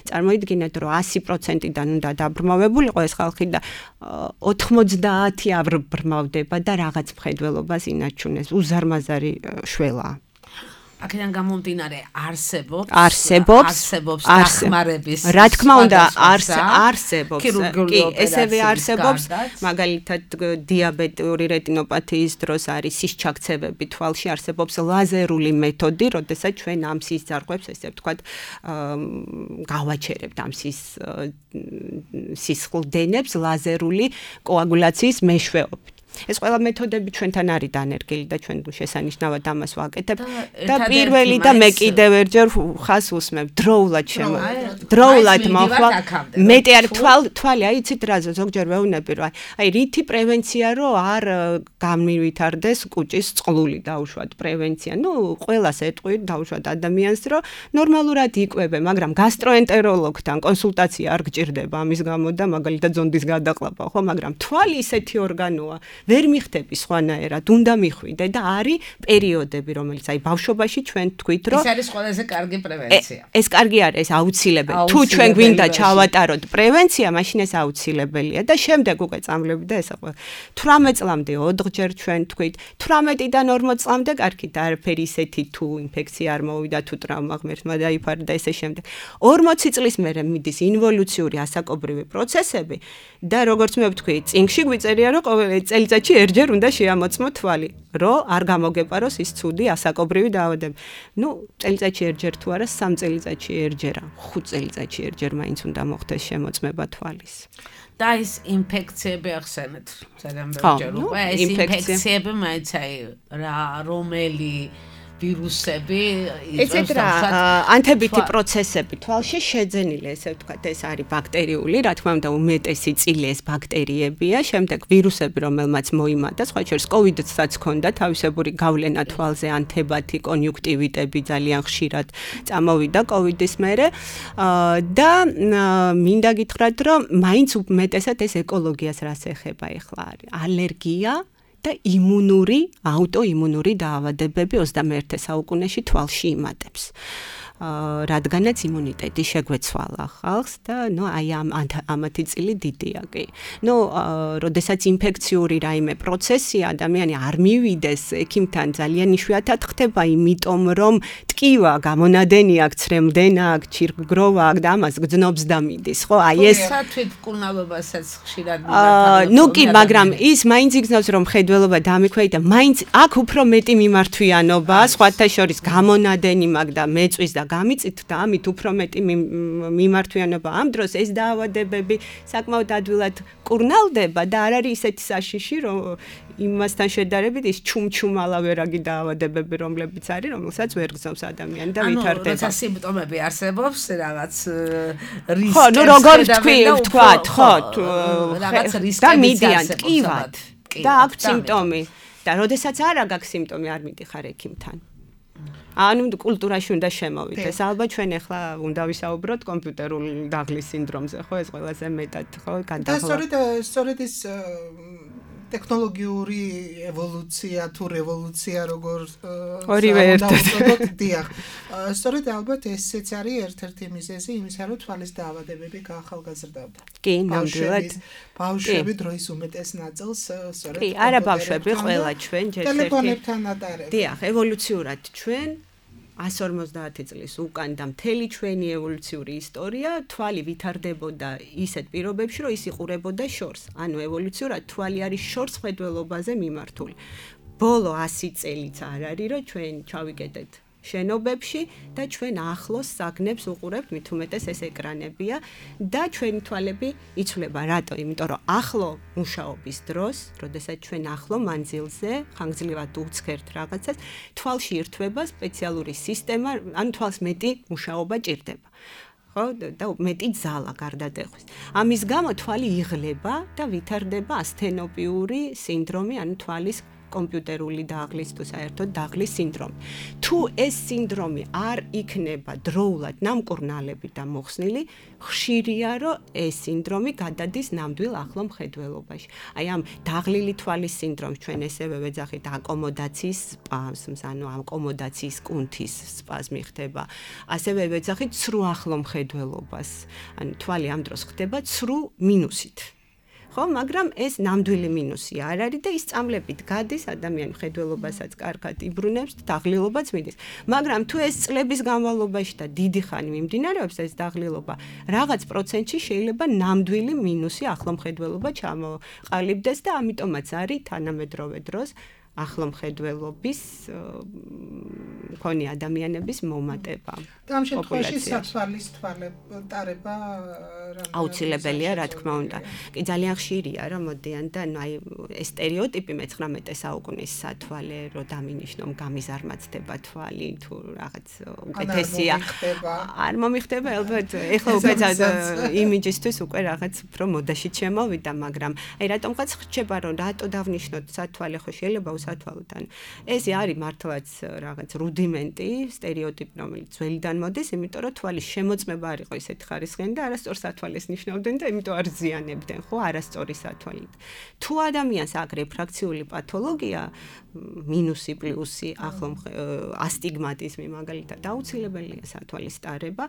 Speaker 5: წარმოიდგინეთ, რომ 100%-დან უნდა დაბრმავებულიყო ეს ხალხი და 90 აბრმავდება და რაღაც მხედველობას ინარჩუნებს. უზარმაზარი შველაა.
Speaker 3: აქედან გამომდინარე არსებობს
Speaker 5: დახმარების რა თქმა უნდა არსებობს კი ესევე არსებობს მაგალითად დიაბეტური რეტინოპათიის დროს არის სისჩაქცევები თვალში არსებობს ლაზერული მეთოდი როდესაც ჩვენ ამ სისხლძარღვებს ესე ვთქვათ გავაჩერებთ ამ სისხლდენებს ლაზერული კოაგულაციის მეშვეობით ეს ყველა მეთოდები ჩვენთან არის დანერგილი და ჩვენ შესანიშნავად ამას ვაკეთებთ და პირველი და მე კიდევ ერთჯერ ხას უსმებ დროულად მოხვალ მეტი არ თვალი აი იცით რა ზოგჯერ ვეუბნები რომ აი რითი პრევენცია რომ არ გამივითარდეს კუჭის წყლული დაუშვათ პრევენცია ნუ ყველას ეტყვით დაუშვათ ადამიანს რომ ნორმალურად იკვებე მაგრამ გასტროენტეროლოგთან კონსულტაცია არ გჭირდება ამის გამო და მაგალითად ზონდის გადაყლაპა ხო მაგრამ თვალი ისეთი ორგანოა ვერ მიხდები სხვანაირად, უნდა მიხვიდე და არის პერიოდები, რომელიც აი ბავშვობაში ჩვენ თქვით, რომ
Speaker 3: ეს არის ყველაზე კარგი პრევენცია.
Speaker 5: ეს კარგი არის, ეს აუცილებელი. თუ ჩვენ გვინდა ჩავატაროთ პრევენცია, მაშინ ეს აუცილებელია და შემდეგ უკვე წამლები და ესა ყველა 18 წლამდე 4 ჯერ ჩვენ თქვით, 18-დან 40 წლამდე კარგით, არაფერი ისეთი თუ ინფექცია არ მოვიდა, თუ ტრავმა ღმერთმა დაიფარა და ესე შემდეგ. 40 წლის მერე მიდის ინვოლუციური ასაკობრივი პროცესები და როგორც მე ვთქვი, წინგში გვიწერია, რომ ყოველ წელიწადში ერთჯერ უნდა შეამოწმო თვალი, რომ არ გამოგეპაროს ის ცუდი ასაკობრივი დაავადებები. ნუ წელიწადში ერთჯერ თუ არა, 3 წელიწადში ერთჯერ, 5 წელიწადში ერთჯერ მაინც უნდა მოხდეს შემოწმება თვალის.
Speaker 3: და ის ინფექციები ახსენეთ, ძალიან ბევრჯერ უკვე ეს ინფექციები მაინც აი რა რომელი ვირუსები
Speaker 5: ესეთ რა ანთებითი პროცესები თვალში შეძენილი ესე ვთქვათ ეს არის ბაქტერიული რა თქმა უნდა უმეტესი წილი ეს ბაქტერიებია შემდეგ ვირუსები რომელმაც მოიმატა სხვა შორის კოვიდსაც ჰქონდა თავისებური გავლენა თვალზე ანთებათი კონიუნქტივიტები ძალიან ხშირად წამოვიდა კოვიდის მერე და მინდა გითხრათ რომ მაინც უმეტესად ეს ეკოლოგიას რას ეხება ახლა არის ალერგია და იმუნური, აუტოიმუნური დაავადებები 21 საუკუნეში თვალში იმატებს. რადგანაც იმუნიტეტი შეგვეცვალა ხალხს და ნუ აი ამათი წილი დიდია კი. ნუ როდესაც ინფექციური რაიმე პროცესია ადამიანი არ მივიდეს ექიმთან ძალიან იშვიათად ხდება, იმიტომ რომ ტკივა, გამონადენი აქვს, ცრემლდენა აქვს, ჩირგროვა აქვს და ამას გძნობს და მიდის, ხო? აი ეს
Speaker 3: თვითმკურნალობასაც ხშირად მიმართავენ.
Speaker 5: ნუ კი, მაგრამ ის მაინც იგრძნობს რომ მხედველობა დამიქვეითდა, მაინც აქ უფრო მეტი მიმართვიანობა, სხვათა შორის გამონადენი მაქვს და მეწვის და გამიწით და ამით უფრო მეტი მიმართვიანობა ამ დროს ეს დაავადებები საკმაოდ ადვილად კურნალდება და არ არის ისეთი საშიში რომ იმასთან შედარებით ის ჩუმჩუმალავერაგი დაავადებები რომლებიც არის რომელსაც ვერ გზავს ადამიანი და ვითარდება.
Speaker 3: ანუ როცა სიმპტომები არსებობს რაღაც რისკი
Speaker 5: ხო, ნუ როგორ ვთქვათ, ხო,
Speaker 3: რაღაც რისკები
Speaker 5: და მიდიან ტკივად და აქვს სიმპტომი და როდესაც არ აქვს სიმპტომი არ მიდიხარ ექიმთან. ანუ კულტურაში უნდა შემოვიდეს. ალბათ ჩვენ ახლა უნდა ვისაუბროთ კომპიუტერული დაღლის სინდრომზე, ხო, ეს ყველაზე მეტად, ხო, გადაღლა.
Speaker 4: და სწორედ ის ტექნოლოგიური ევოლუცია თუ რევოლუცია როგორ
Speaker 5: ორივე ერთად.
Speaker 4: დიახ. სწორედ ალბათ ესეც არის ერთ-ერთი მიზეზი იმისა, რომ თვალის დაავადებები გაახალგაზრდავდა.
Speaker 5: კი, ნამდვილად.
Speaker 4: ბავშვები დროის უმეტეს ნაწილს სწორედ
Speaker 5: კი, არა ბავშვები, ყველა ჩვენ ჯერ ერთი
Speaker 4: ტელეფონებთან ატარებთ.
Speaker 5: დიახ, ევოლუციურად ჩვენ 150 წლის უკან და მთელი ჩვენი ევოლუციური ისტორია თვალი ვითარდებოდა ისეთ პირობებში, რომ ის იყურებოდა შორს. ანუ ევოლუციურად თვალი არის შორს ხედველობაზე მიმართული. ბოლო 100 წელიც არ არის, რომ ჩვენ ჩავიკეტეთ შენობებში და ჩვენ ახლოს საგნებს უყურებთ, მით უმეტეს ეს ეკრანებია და ჩვენი თვალები იცვლება. რატო? იმიტომ რომ ახლო მუშაობის დროს, როდესაც ჩვენ ახლო მანძილზე ხანგრძლივად უცხერთ რაღაცას, თვალში ირთვება სპეციალური სისტემა, ანუ თვალს მეტი მუშაობა ჭირდება. ხო და მეტი ძალა გარდატეხვის. ამის გამო თვალი იღლება და ვითარდება ასთენოპიური სინდრომი, ანუ თვალის კომპიუტერული დაღლის თუ საერთოდ დაღლის სინდრომი. თუ ეს სინდრომი არ იქნება დროულად ნამკურნალებით და მოხსნილი, ხშირია რომ ეს სინდრომი გადადის ნამდვილ ახლო მხედველობაში. აი ამ დაღლილი თვალის სინდრომს ჩვენ ესევე ვეძახით აკომოდაციის სპაზმს, ანუ აკომოდაციის კუნთის სპაზმი ხდება. ასევე ვეძახით ცრუ ახლო მხედველობას. ანუ თვალი ამ დროს ხდება ცრუ მინუსით. ხო, მაგრამ ეს ნამდვილი მინუსი არ არის და ის წამლებით გადის, ადამიანი ხედველობასაც კარგად იბრუნებს, დაღლილობაც მიდის. მაგრამ თუ ეს წლების განმავლობაში და დიდი ხანი მიმდინარეობს ეს დაღლილობა, რაღაც პროცენტში შეიძლება ნამდვილი მინუსი ახლომხედველობა ჩამოყალიბდეს და ამიტომაც არის თანამედროვე დროს ახლომხედველობის მქონე ადამიანების მომატება.
Speaker 4: და ამ შემთხვევაში სათვალის თვალეტარება
Speaker 5: აუცილებელია, რა თქმა უნდა. კი ძალიან ხშირია, რომ მოდიან და აი ეს სტერეოტიპი მე-19 საუკუნის სათვალე, რომ დამინიშნო გამიზარმაცდება თვალი, თუ რაღაც უკეთესია. არ მომიხდება, ალბათ. ეხლა უკვე იმიჯისთვის უკვე რაღაც უფრო მოდაში შემოვიდა, მაგრამ აი რატომღაც ხდება, რომ რატო დავნიშნოთ სათვალე, ხო შეიძლება სათვალთან. ეს არის მართლაც რაღაც რუდიმენტი, სტერეოტიპი, რომელიც ძველიდან მოდის, იმიტომ რომ თვალის შემოწმება არ იყო ისეთი ხარისხიანი და არასწორ სათვალეს ნიშნავდნენ და იმიტომ არ ზიანებდნენ, ხო, არასწორი სათვალით. თუ ადამიანს აქვს რეფრაქციული პათოლოგია, მინუსი, პლუსი, ასტიგმატიზმი მაგალითად აუცილებელია სათვალის ტარება.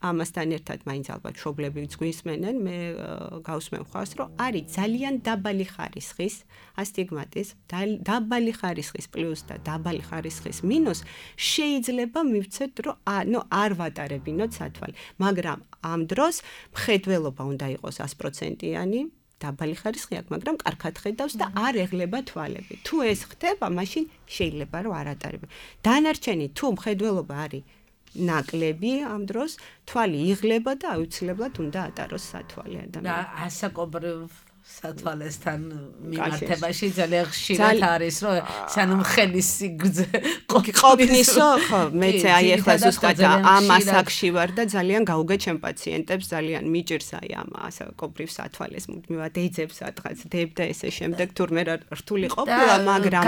Speaker 5: ამასთან ერთად მაინც ალბათ მშობლებიც გვისმენენ, მე გავსმენ ხავს, რომ არის ძალიან დაბალი ხარისხის ასტიგმატის, დაბალი ხარისხის პლუს და დაბალი ხარისხის მინუს შეიძლება მივცეთ, რომ არ ვატარებინოთ სათვალე, მაგრამ ამ დროს მხედველობა უნდა იყოს 100%-იანი, დაბალი ხარისხი აქვს, მაგრამ კარგად ხედავს და არ ეღლება თვალები. თუ ეს ხდება, მაშინ შეიძლება რომ არ ატარებინო. დანარჩენი თუ მხედველობა არის ნაკლები ამ დროს თვალი იღლება და აუცილებლად უნდა ატაროს სათვალე ადამიანი.
Speaker 3: და ასაკობრივ სათვალესთან მიმართებაში ძალიან ხშირად არის, რომ სანამ ხელის სიგრძე
Speaker 5: ყოფნისო, ხო, მეც აი ახლა ზუსტად ამ ასაკში ვარ და ძალიან გაუგე ჩემ პაციენტებს, ძალიან მიჭირს აი ამ ასაკობრივ სათვალეს მუდმივად ეძებს სადღაც დებ და ესე შემდეგ თურმე რთული ყოფილა, მაგრამ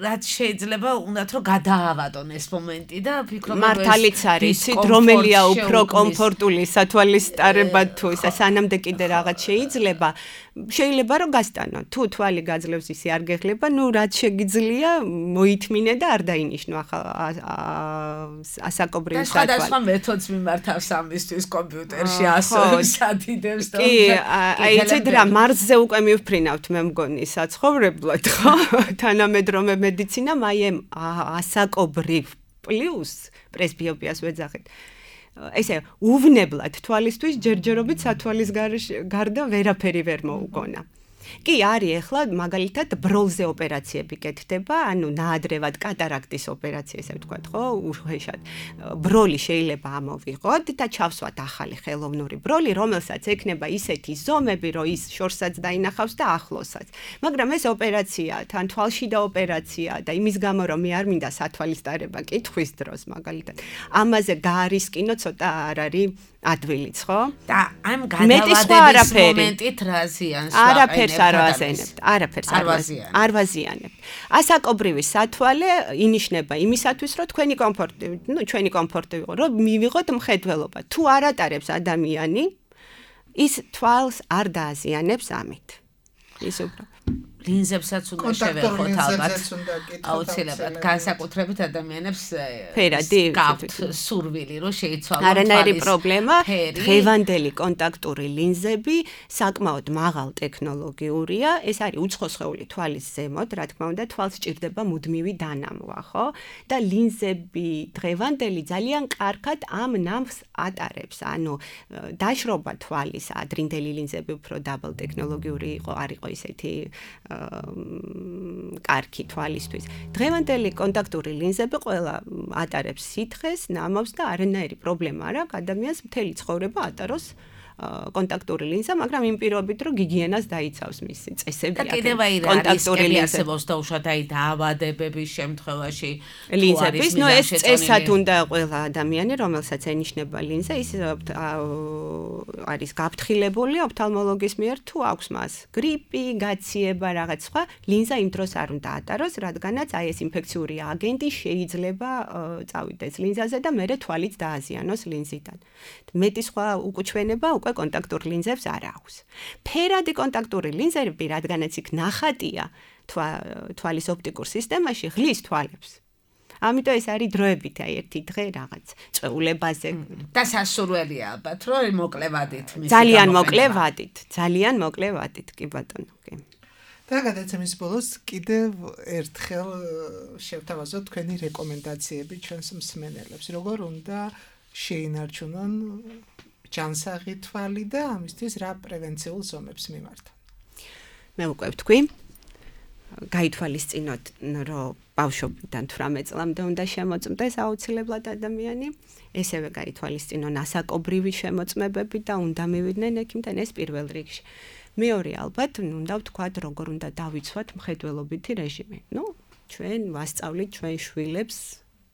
Speaker 3: რაც შეიძლება უნდათ რომ გადაავადონ ეს მომენტი და ფიქრობ
Speaker 5: მართალიც არის, რომელია უფრო კომფორტული სათვალის ტარება თუ სანამდე კიდე რაღაც შეიძლება შეიძლება რომ გასტანო. თუ თვალი გაძლევს ისე არ გეხლება, ნუ რაც შეგიძლია მოითმინე და არ დაინიშნო ასაკობრივი სათვალე.
Speaker 3: და სხვა მეთოდს მიმართავს ამისთვის კომპიუტერში ასოებს ადიდებს და
Speaker 5: კი, აი იცით რა, მარსზე უკვე მივფრინავთ მე მგონი საცხოვრებლად, ხო? თანამედროვე მედიცინა მაიემ ასაკობრივ პლუს პრესბიოპიას ვეძახით. ესე უვნებლად თვალისთვის ჯერჯერობით სათვალის გარდა ვერაფერი ვერ მოუგონა. კი არის ახლა მაგალითად ბროლზე ოპერაციები კეთდება, ანუ ნაადრევად კატარაქტის ოპერაცია ესე ვთქვათ, ხო, უხეშად. ბროლი შეიძლება ამოვიღოთ და ჩავსვათ ახალი ხელოვნური ბროლი, რომელსაც ექნება ისეთი ზომები, რომ ის შორსაც დაინახავს და ახლოსაც. მაგრამ ეს ოპერაცია, თან თვალში და ოპერაცია და იმის გამო რომ მე არ მინდა სათვალის ტარება კითხვის დროს მაგალითად. ამაზე გაარისკინო ცოტა არ არის ადვილიც, ხო?
Speaker 3: და ამ გადავადების მომენტით რა ზიანს
Speaker 5: არაფერს არ ვაზიანებთ, არაფერს არ ვაზიანებთ. ასაკობრივი სათვალე ინიშნება იმისათვის, რომ თქვენი კომფორტი, ჩვენი კომფორტი ვიყო, რომ მივიღოთ მხედველობა. თუ არ ატარებს ადამიანი, ის თვალს არ დააზიანებს ამით. ის უფრო
Speaker 3: ლინზებსაც უნდა შევეხოთ ალბათ. აუცილებლად განსაკუთრებით ადამიანებს გაქვთ სურვილი რომ შეიცვალონ თვალის.
Speaker 5: არანაირი პრობლემა. დღევანდელი კონტაქტური ლინზები საკმაოდ მაღალ ტექნოლოგიურია. ეს არის უცხოსხეული თვალის ზემოთ, რა თქმა უნდა, თვალს სჭირდება მუდმივი დანამვა, ხო? და ლინზები დღევანდელი ძალიან კარგად ამ ნამს ატარებს. ანუ დაშრობა თვალის ადრინდელი ლინზები უფრო დაბალ ტექნოლოგიური იყო, არ იყო ისეთი კარგი თვალისთვის. დღევანდელი კონტაქტური ლინზები ყველა ატარებს სითხეს, ნამავს და არანაირი პრობლემა არ აქვს ადამიანს მთელი ცხოვრება ატაროს კონტაქტური ლინზა, მაგრამ იმ პირობით რომ გიგიენას დაიცავს მისი წესები.
Speaker 3: და კიდევ აი კონტაქტური არსებობს და უშუალოდ აი დაავადებების შემთხვევაში
Speaker 5: ლინზების, ნუ ეს წესად უნდა ყველა ადამიანი, რომელსაც ენიშნება ლინზა, ის არის გაფრთხილებული ოფთალმოლოგის მიერ თუ აქვს მას გრიპი, გაციება, რაღაც სხვა, ლინზა იმ დროს არ უნდა ატაროს, რადგანაც აი ეს ინფექციური აგენტი შეიძლება წავიდეს ლინზაზე და მერე თვალიც დააზიანოს ლინზიდან. მეტი სხვა უკუჩვენება უკვე კონტაქტურ ლინზებს არ აქვს. ფერადი კონტაქტური ლინზები, რადგანაც იქ ნახატია თვალის ოპტიკურ სისტემაში, ღლის თვალებს. ამიტომ ეს არის დროებით, აი ერთი დღე რაღაც წვეულებაზე
Speaker 3: და სასურველია ალბათ, რომ მოკლე ვადით მისი.
Speaker 5: ძალიან მოკლე ვადით, კი ბატონო, კი.
Speaker 4: და გადაცემის ბოლოს კიდევ ერთხელ შევთავაზოთ თქვენი რეკომენდაციები ჩვენს მსმენელებს, როგორ უნდა შეინარჩუნონ ჯანსაღი თვალი და ამისთვის რა პრევენციულ ზომებს მიმართონ.
Speaker 5: მე უკვე ვთქვი, გაითვალისწინოთ, რომ ბავშვობიდან 18 წლამდე უნდა შემოწმდეს აუცილებლად ადამიანი, ესევე გაითვალისწინონ ასაკობრივი შემოწმებები და უნდა მივიდნენ ექიმთან, ეს პირველ რიგში. მეორე ალბათ, უნდა ვთქვათ, როგორ უნდა დავიცვათ მხედველობითი რეჟიმი. ჩვენ ვასწავლით ჩვენ შვილებს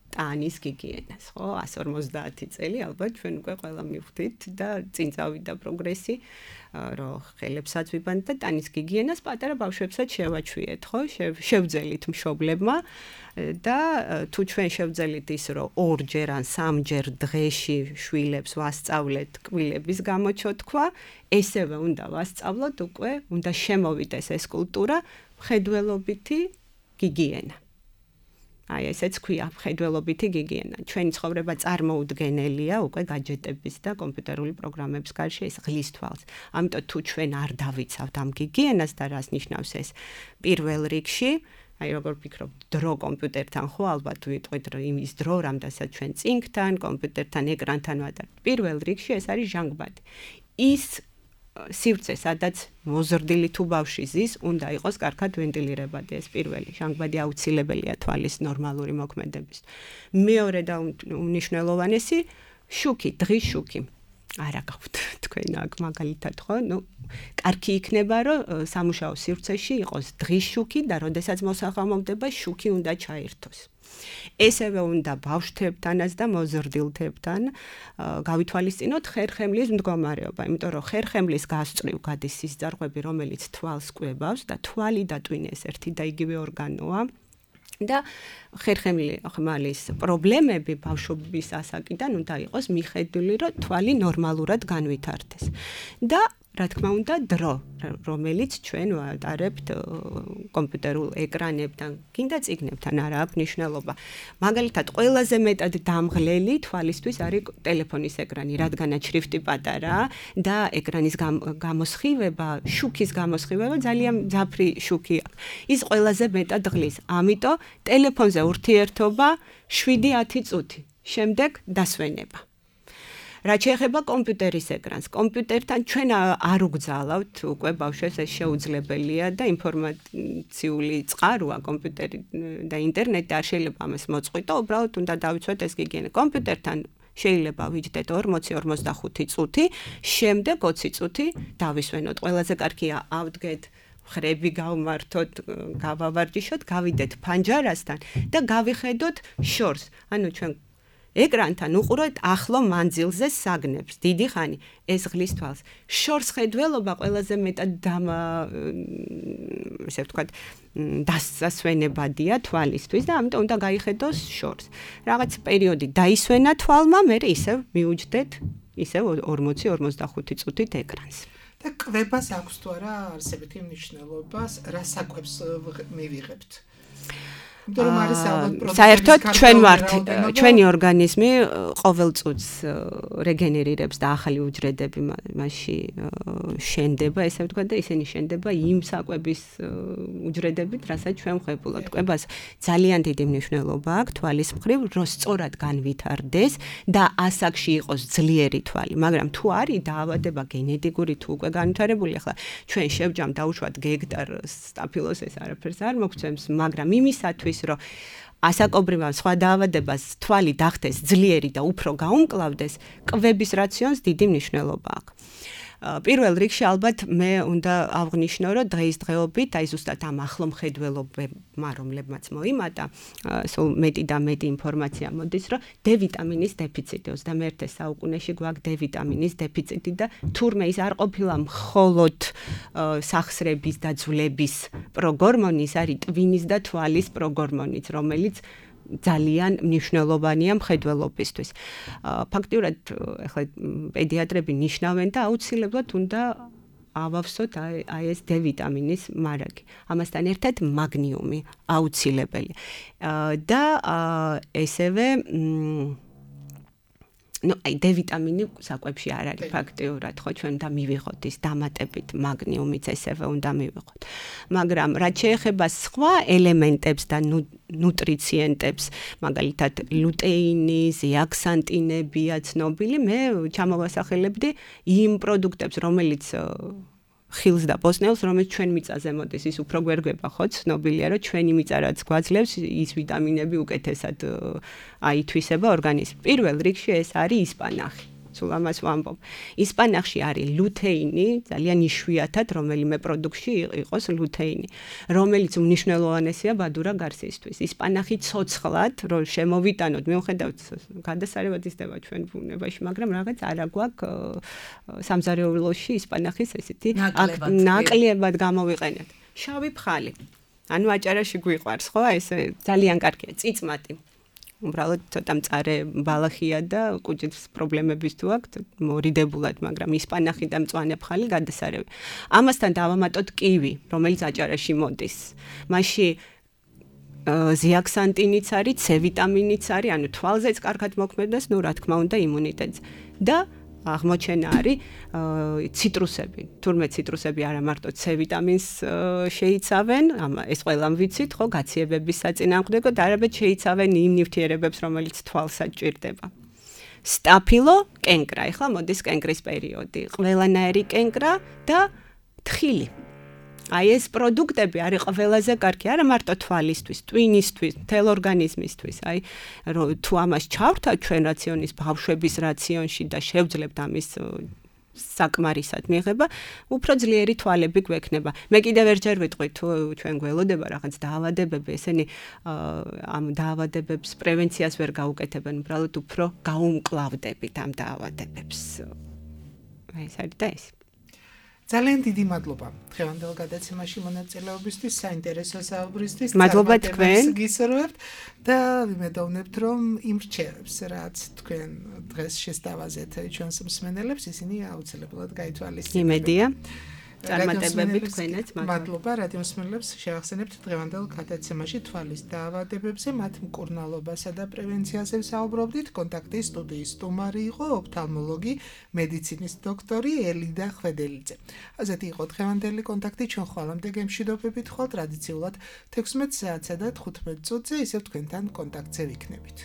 Speaker 5: ტანის გიგიენას, ხო? 150 წელი ალბათ ჩვენ უკვე ყველა მივხვდით და წინ წავიდა პროგრესი, რომ ხელებსაც ვიბანთ და ტანის გიგიენას პატარა ბავშვებსაც შევაჩვიეთ, ხო? შევძელით მშობლებმა და თუ ჩვენ შევძელით ის, რომ 2-ჯერ ან 3-ჯერ დღეში შვილებს ვასწავლეთ კბილების გამოჩოთქვა, ესევე უნდა ვასწავლოთ უკვე, უნდა შემოვიდეს ეს კულტურა მხედველობითი გიგიენა. აი ესეც ქვია მხედველობითი გიგიენა. ჩვენი ცხოვრება წარმოუდგენელია უკვე გაჯეტების და კომპიუტერული პროგრამების გარშე, ეს ღლის თვალს. ამიტომ თუ ჩვენ არ დავიცავთ ამ გიგიენას და რას ნიშნავს ეს პირველ რიგში, აი როგორ ვფიქრობ, დრო კომპიუტერთან ხო ალბათ ვიტყვით, რომ იმის დრო, რამდენსაც ჩვენ წინგთან, კომპიუტერთან, ეკრანთან ვატარებთ. პირველ რიგში ეს არის ჟანგბადი. ის სივრცე, სადაც მოზრდილი თუ ბავშვი ზის, უნდა იყოს კარგად ვენტილირებადი, ეს პირველი. ჟანგბადი აუცილებელია თვალის ნორმალური მოქმედების. მეორე და უმნიშვნელოვანესი, შუქი, დღის შუქი. არა გაქვთ თქვენ აქ მაგალითად ხო? კარგი იქნება, რომ სამუშაო სივრცეში იყოს დღის შუქი და როდესაც მოსაღამოვდება, შუქი უნდა ჩაერთოს. ესევე უნდა ბავშვებთანაც და მოზრდილთებთან გავითვალისწინოთ ხერხემლის მდგომარეობა, იმიტომ რომ ხერხემლის გასწვრივ გადის სისწარღვები, რომელიც თვალს კვებავს და თვალი და ტვინი ეს ერთი და იგივე ორგანოა. და ხერხემლის პრობლემები ბავშვობის ასაკიდან უნდა იყოს მიხედვილი, რომ თვალი ნორმალურად განვითარდეს. და რა თქმა უნდა, დრო, რომელიც ჩვენ ვატარებთ კომპიუტერულ ეკრანებთან, კიდე წიგნებთან არა აქვს მნიშვნელობა. მაგალითად, ყველაზე მეტად დამღლელი თვალისთვის არის ტელეფონის ეკრანი, რადგანაც შრიფტი პატარაა და ეკრანის გამოსხივება, შუქის გამოსხივება ძალიან მძაფრი შუქი აქვს. ის ყველაზე მეტად ღლის. ამიტომ ტელეფონზე ურთიერთობა 7-10 წუთი. შემდეგ დასვენება. რაც შეეხება კომპიუტერის ეკრანს, კომპიუტერთან ჩვენ არ უგზავნავთ უკვე ბავშვებს, ეს შეუძლებელია და ინფორმაციული წყაროა კომპიუტერი და ინტერნეტი არ შეიძლება ამას მოწყვიტო, უბრალოდ უნდა დავიცვათ ეს გიგიენა. კომპიუტერთან შეიძლება ვიჯდეთ 40-45 წუთი, შემდეგ 20 წუთი დავისვენოთ. ყველაზე კარგია ავდგეთ, ხრები გავმართოთ, გავავარჯიშოთ, გავიდეთ ფანჯარასთან და გავიხედოთ შორს. ანუ ჩვენ ეკრანთან უყუროთ ახლო მანძილზე საგნებს, დიდი ხანი, ეს ღლის თვალს. შორს ხედველობა ყველაზე მეტად ესე ვთქვათ, დასასვენებადია თვალისთვის და ამიტომ უნდა გაიხედოს შორს. რაღაც პერიოდი დაისვენა თვალმა, მე ისევ მიუჯდეთ, ისევ 40-45 წუთით ეკრანს.
Speaker 4: და კვებას აქვს თუ არა არსებითი მნიშვნელობა, რა საკვებს მივიღებთ?
Speaker 5: საერთოდ ჩვენ ვართ, ჩვენი ორგანიზმი ყოველ წუთს რეგენერირებს და ახალი უჯრედები მასში შენდება, ესე ვთქვათ და ისინი შენდება იმ საკვების უჯრედებით, რასაც ჩვენ ვღებულობთ. კვებას ძალიან დიდი მნიშვნელობა აქვს თვალის მხრივ, რომ სწორად განვითარდეს და ასაკში იყოს ძლიერი თვალი, მაგრამ თუ არის დაავადება გენეტიკური თუ უკვე განვითარებული, ახლა ჩვენ შევჯამ დაუშვათ გექტარ სტაფილოს, ეს არაფერს არ მოგცემს, მაგრამ იმისათვის რომ ასაკობრივ სხვა დაავადებას თვალი დახტეს ძლიერი და უფრო გაუმკლავდეს, კვების რაციონს დიდი მნიშვნელობა აქვს. პირველ რიგში ალბათ მე უნდა აღვნიშნო, რომ დღეისდღეობით, აი ზუსტად ამ ახლომხედველობებმა, რომლებმაც მოიმატა, სულ მეტი და მეტი ინფორმაცია მოდის, რომ D ვიტამინის დეფიციტი 21 საუკუნეში გვაქვს D ვიტამინის დეფიციტი და თურმე ის არ ყოფილა მხოლოდ სახსრების და ძვლების პროგორმონი, ის არის ტვინის და თვალის პროგორმონიც, რომელიც ძალიან მნიშვნელოვანია მხედველობისთვის. ფაქტიურად ახლა პედიატრები ნიშნავენ და აუცილებლად უნდა ავავსოთ აი ეს D ვიტამინის მარაგი. ამასთან ერთად მაგნიუმი აუცილებელი. და ესევე D ვიტამინი საკვებში არ არის ფაქტიურად, ხო, ჩვენ უნდა მივიღოთ ის დამატებით მაგნიუმიც ესევე უნდა მივიღოთ. მაგრამ რაც შეეხება სხვა ელემენტებს და ნუტრიციენტებს, მაგალითად ლუტეინი, ზეაქსანტინებია ცნობილი, მე ჩამოვასახელებდი იმ პროდუქტებს, რომელიც ხილს და ბოსტნეულს, რომელიც ჩვენ მიწაზე მოდის, ის უფრო გვერგვება, ხო, ცნობილია, რომ ჩვენი მიწა რაც გვაძლევს, ის ვიტამინები უკეთესად აითვისება ორგანიზმს. პირველ რიგში ეს არის ისპანახი. სულ ამას ვამბობ. ისპანახში არის ლუთეინი, ძალიან იშვიათად რომელიმე პროდუქტში იყოს ლუთეინი, რომელიც უმნიშვნელოვანესია ბადურა გარსისთვის. ისპანახი ცოცხლად, რომ შემოვიტანოთ, მიუხედავად გადასარევადისდება ჩვენ ბუნებაში, მაგრამ რაღაც არა გვაქვს სამზარეულოში ისპანახის ესეთი ნაკლებად გამოვიყენეთ. შავი ფხალი. ანუ აჭარაში გვიყვარს, ხო? ეს ძალიან კარგია, წიწმატი. უბრალოდ ცოტა მწარე ბალახია და კუჭის პრობლემების თუ აქვთ მორიდებულად, მაგრამ ისპანახი და მწვანე ფხალი გადასარევი. ამასთან დავამატოთ კივი, რომელიც აჭარაში მოდის. მასში ზეაქსანტინიც არის, C ვიტამინიც არის, ანუ თვალზეც კარგად მოქმედებს, ნუ რა თქმა უნდა იმუნიტეტს. და აღმოჩენა არის ციტრუსები. თურმე ციტრუსები არა მარტო C ვიტამინს შეიცავენ, ეს ყველამ ვიცით, ხო, გაციებების საწინააღმდეგოდ, არამედ შეიცავენ იმ ნივთიერებებს, რომელიც თვალსაც ჭირდება. სტაფილო, კენკრა, ეხლა მოდის კენკრის პერიოდი. ყველანაირი კენკრა და თხილი. აი ეს პროდუქტები არის ყველაზე კარგი, არა მარტო თვალისთვის, ტვინისთვის, მთელ ორგანიზმისთვის. აი თუ ამას ჩავრთათ ჩვენ რაციონის ბავშვების რაციონში და შევძლებთ ამის საკმარისად მიღება, უფრო ძლიერი თვალები გვექნება. მე კიდევ ერთჯერ ვიტყვი, თუ ჩვენ გველოდება რაღაც დაავადებები, ესენი ამ დაავადებებს პრევენციას ვერ გაუკეთებენ, უბრალოდ უფრო გაუმკლავდებით ამ დაავადებებს. აი ეს არის და ეს.
Speaker 4: ძალიან დიდი მადლობა დღევანდელ გადაცემაში მონაწილეობისთვის, საინტერესო საუბრისთვის.
Speaker 5: მადლობა თქვენ.
Speaker 4: გისურვებთ და ვიმედოვნებთ, რომ იმ რჩევებს, რაც თქვენ დღეს შესთავაზეთ ჩვენს მსმენელებს, ისინი აუცილებლად გაითვალისწინებენ.
Speaker 5: იმედია. წარმატებები თქვენაც.
Speaker 4: მადლობა რადიო მსმენელებს, შევახსენებთ დღევანდელ გადაცემაში თვალის დაავადებებზე, მათ მკურნალობასა და პრევენციაზე საუბრობდით. კონტაქტის სტუდიის სტუმარი იყო ოფთალმოლოგი, მედიცინის დოქტორი ელიდა ხვედელიძე. ასეთი იყო დღევანდელი კონტაქტი, ჩვენ ხვალამდე გემშვიდობებით ხვალ ტრადიციულად 16 საათსა და 15 წუთზე, ისევ თქვენთან კონტაქტზე ვიქნებით.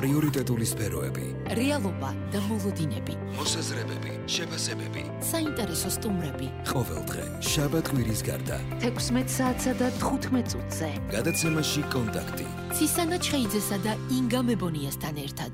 Speaker 1: პრიორიტეტული სფეროები,
Speaker 2: რეალობა და მოლოდინები,
Speaker 1: მოსაზრებები, შეფასებები,
Speaker 2: საინტერესო სტუმრები.
Speaker 1: ყოველდღე, შაბათ-კვირის გარდა,
Speaker 2: 16 საათსა და 15 წუთზე.
Speaker 1: გადაცემაში კონტაქტი.
Speaker 2: ცისანა ჩხეიძესა და ინგა მებონიასთან ერთად.